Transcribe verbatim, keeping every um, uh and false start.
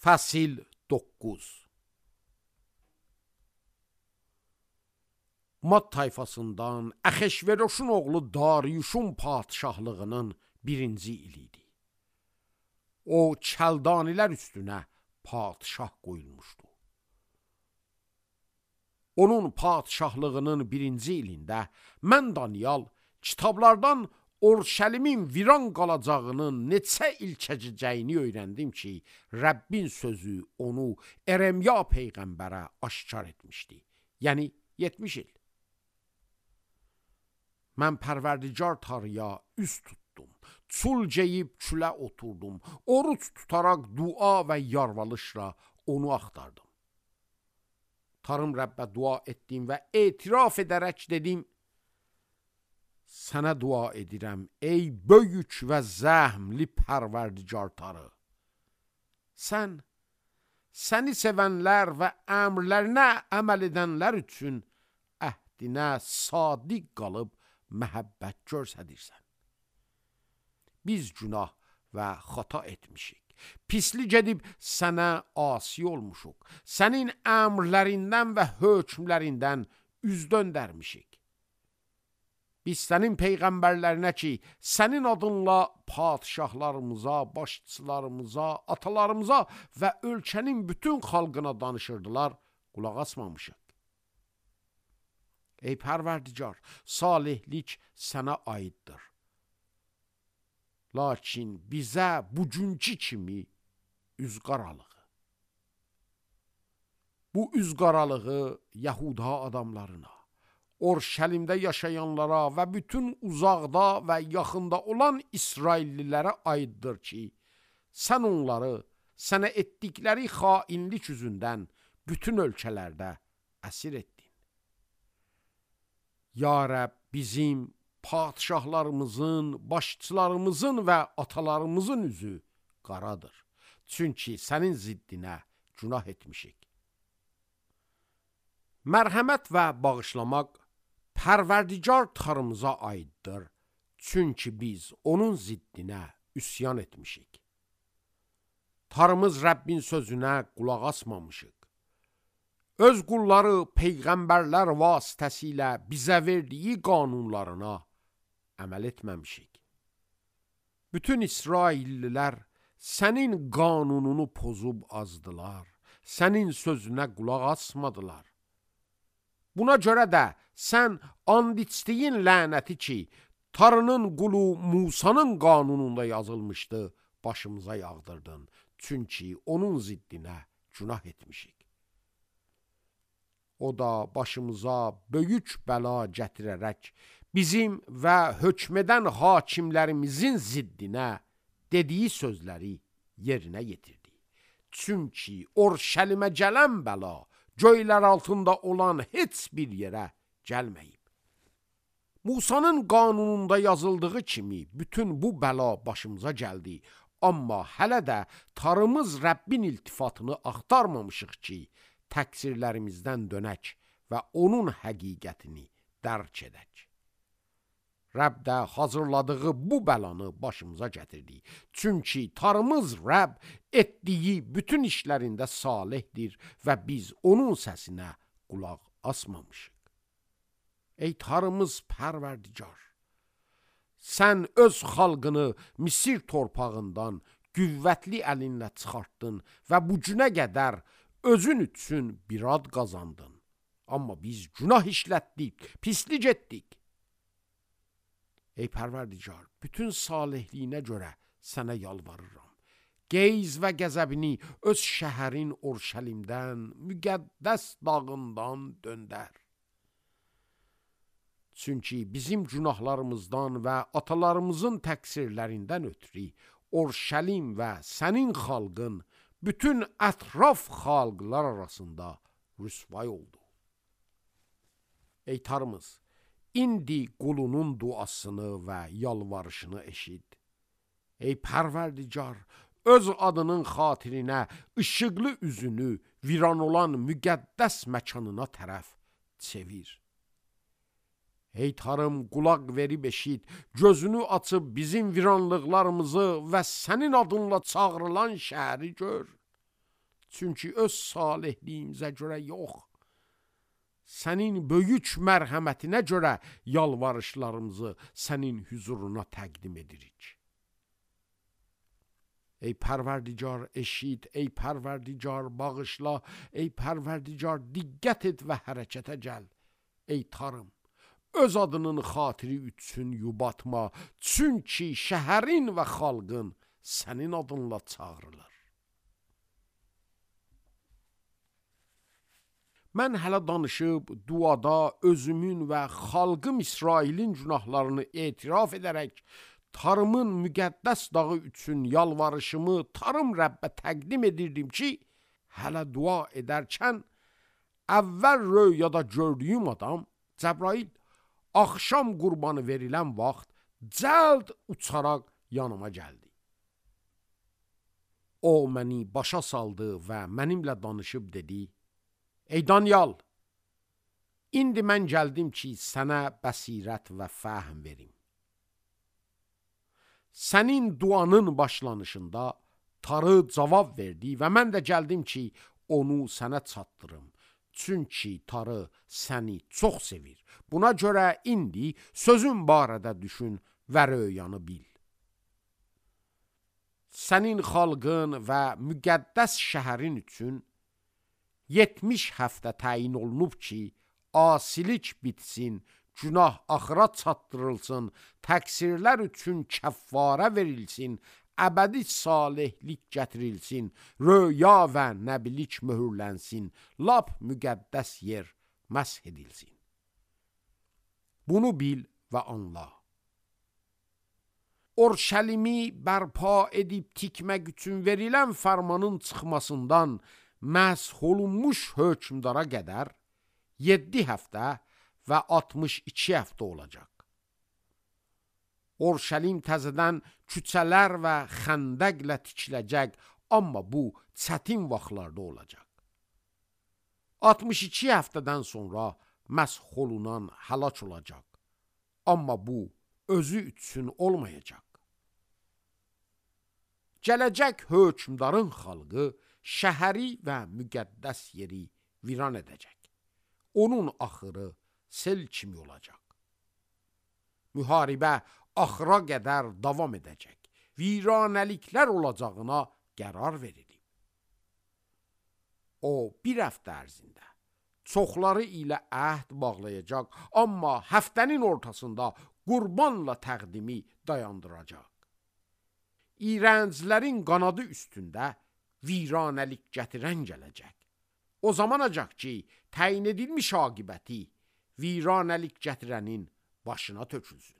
Fəsil doqquz. Mad tayfasından Əxeşveroşun oğlu Dariyuşun padişahlığının birinci iliydi. O, Kəldanilər üstünə padişah qoyulmuşdu. Onun padişahlığının birinci ilində mən Daniyal kitablardan Orşəlimin viran qalacağının neçə il keçəcəyini öyrəndim ki, Rəbbin sözü onu Eremya peyğəmbərə aşkar etmişdi. Yəni yetmiş il. Mən Pərverdigar Tanrıya üz tutdum. Çul geyib külə oturdum. Oruç tutaraq dua və yarvalışla onu axtardım. Tanrım Rəbbə dua etdim və etiraf edərək dedim: Sənə dua edirəm, ey böyük və zəhmli Pərverdigar Tanrı. Sən, səni sevənlər və əmrlərinə əməl edənlər üçün əhdinə sadiq qalıb məhəbbət göstərirsən. Biz günah və xata etmişik. Pislik edib sənə asi olmuşuq. Sənin əmrlərindən və hökmlərindən üz döndərmişik. Biz sənin peyğəmbərlərinə ki, sənin adınla padişahlarımıza, başçılarımıza, atalarımıza və ölkənin bütün xalqına danışırdılar, qulaq asmamışıq. Ey Pərverdigar, salihlik sənə aiddir. Lakin bizə bugünkü kimi üz qaralığı. Bu üz qaralığı Yahuda adamlarına, Orşəlimdə yaşayanlara və bütün uzaqda və yaxında olan İsraillilərə aiddir ki, sən onları sənə etdikləri xainlik üzündən bütün ölkələrdə əsir etdin. Ya Rəbb, bizim padişahlarımızın, başçılarımızın və atalarımızın üzü qaradır. Çünki sənin ziddinə günah etmişik. Mərhəmət və bağışlamaq Pərverdigar Tanrımıza aiddir. Çünki biz onun ziddinə üsyan etmişik. Tanrımız Rəbbin sözünə qulaq asmamışıq. Öz qulları peyğəmbərlər vasitəsilə bizə verdiyi qanunlarına əməl etməmişik. Bütün İsraillilər sənin qanununu pozub azdılar. Sənin sözünə qulaq asmadılar. Buna görə də sən and içdiyin lənəti ki, Tanrının qulu Musanın qanununda yazılmışdı, başımıza yağdırdın. Çünki onun ziddinə günah etmişik. O da başımıza böyük bəla gətirərək bizim və hökmedən hakimlərimizin ziddinə dediyi sözləri yerinə yetirdi. Çünki Orşəlimə gələn bəla göylər altında olan heç bir yerə gəlməyib. Musanın qanununda yazıldığı kimi bütün bu bəla başımıza gəldi. Amma hələ də Tanrımız Rəbbin iltifatını axtarmamışıq ki, təqsirlərimizdən dönək və onun həqiqətini dərk edək. Rəbb də hazırladığı bu bəlanı başımıza gətirdi. Çünki Tanrımız Rəbb etdiyi bütün işlərində salihdir və biz onun səsinə qulaq asmamışıq. Ey Tanrımız Pərverdigar, sən öz xalqını Misir torpağından qüvvətli əlinlə çıxartdın və bu günə qədər özün üçün bir ad qazandın. Amma biz günah işlətdik, pislik etdik. Ey Pərverdigar, bütün salihliyinə görə sənə yalvarıram. Qeyz və qəzəbini öz şəhərin Orşəlimdən, müqəddəs dağından döndər. Çünki bizim günahlarımızdan və atalarımızın təqsirlərindən ötürü Orşəlim və sənin xalqın bütün ətraf xalqlar arasında rüsvay oldu. Ey Tanrımız, İndi qulunun duasını və yalvarışını eşid. Ey Pərverdigar, öz adının xatirinə işıqlı üzünü viran olan müqəddəs məkanına tərəf çevir. Ey Tanrım, qulaq verib eşid, gözünü açıb bizim viranlıqlarımızı və sənin adınla çağrılan şəhəri gör. Çünki öz salihliyimizə görə yox, sənin böyük mərhəmətinə görə yalvarışlarımızı sənin huzuruna təqdim edirik. Ey Pərverdigar eşit, ey Pərverdigar bağışla, ey Pərverdigar diqqət et və hərəkətə gəl. Ey Tanrım, öz adının xatiri üçün yubatma, çünki şəhərin və xalqın sənin adınla çağırılır. Mən hələ danışıb, duada özümün və xalqım İsrailin günahlarını etiraf edərək, Tarımın müqəddəs dağı üçün yalvarışımı Tarım Rəbbə təqdim edirdim ki, hələ dua edərkən, əvvəl röyada gördüyüm adam, Cəbrail, axşam qurbanı verilən vaxt, cəld uçaraq yanıma gəldi. O, məni başa saldı və mənimlə danışıb dedi, Ey Danyal, indi mən gəldim ki, sənə bəsirət və fəhm verim. Sənin duanın başlanışında Tarı cavab verdi və mən də gəldim ki, onu sənə çatdırım. Çünki Tarı səni çox sevir. Buna görə indi sözün barədə düşün və röyanı bil. Sənin xalqın və müqəddəs şəhərin üçün yetmiş həftə təyin olunub ki, asilik bitsin, günah axıra çatdırılsın, təqsirlər üçün kəffarə verilsin, əbədi salihlik gətirilsin, röya və nəbilik möhürlənsin, lap müqəddəs yer məsh edilsin. Bunu bil və anla. Orşəlimi bərpa edib tikmək üçün verilən fərmanın çıxmasından məsh olunmuş hökmdara qədər yeddi həftə və altmış iki həftə olacaq. Orşəlim təzədən küçələr və xəndəqlə tikiləcək, amma bu çətin vaxtlarda olacaq. altmış iki həftədən sonra məsh olunan həlak olacaq, amma bu özü üçün olmayacaq. Gələcək hökmdarın xalqı şəhəri və müqəddəs yeri viran edəcək. Onun axırı sel kimi olacaq. Müharibə axıra qədər davam edəcək. Viranəliklər olacağına qərar verilib. O, bir həftə ərzində çoxları ilə əhd bağlayacaq, amma həftənin ortasında qurbanla təqdimi dayandıracaq. İrənclərin qanadı üstündə viranəlik gətirən gələcək. O zamanacaq ki, təyin edilmiş aqibəti viranəlik gətirənin başına tökülsün.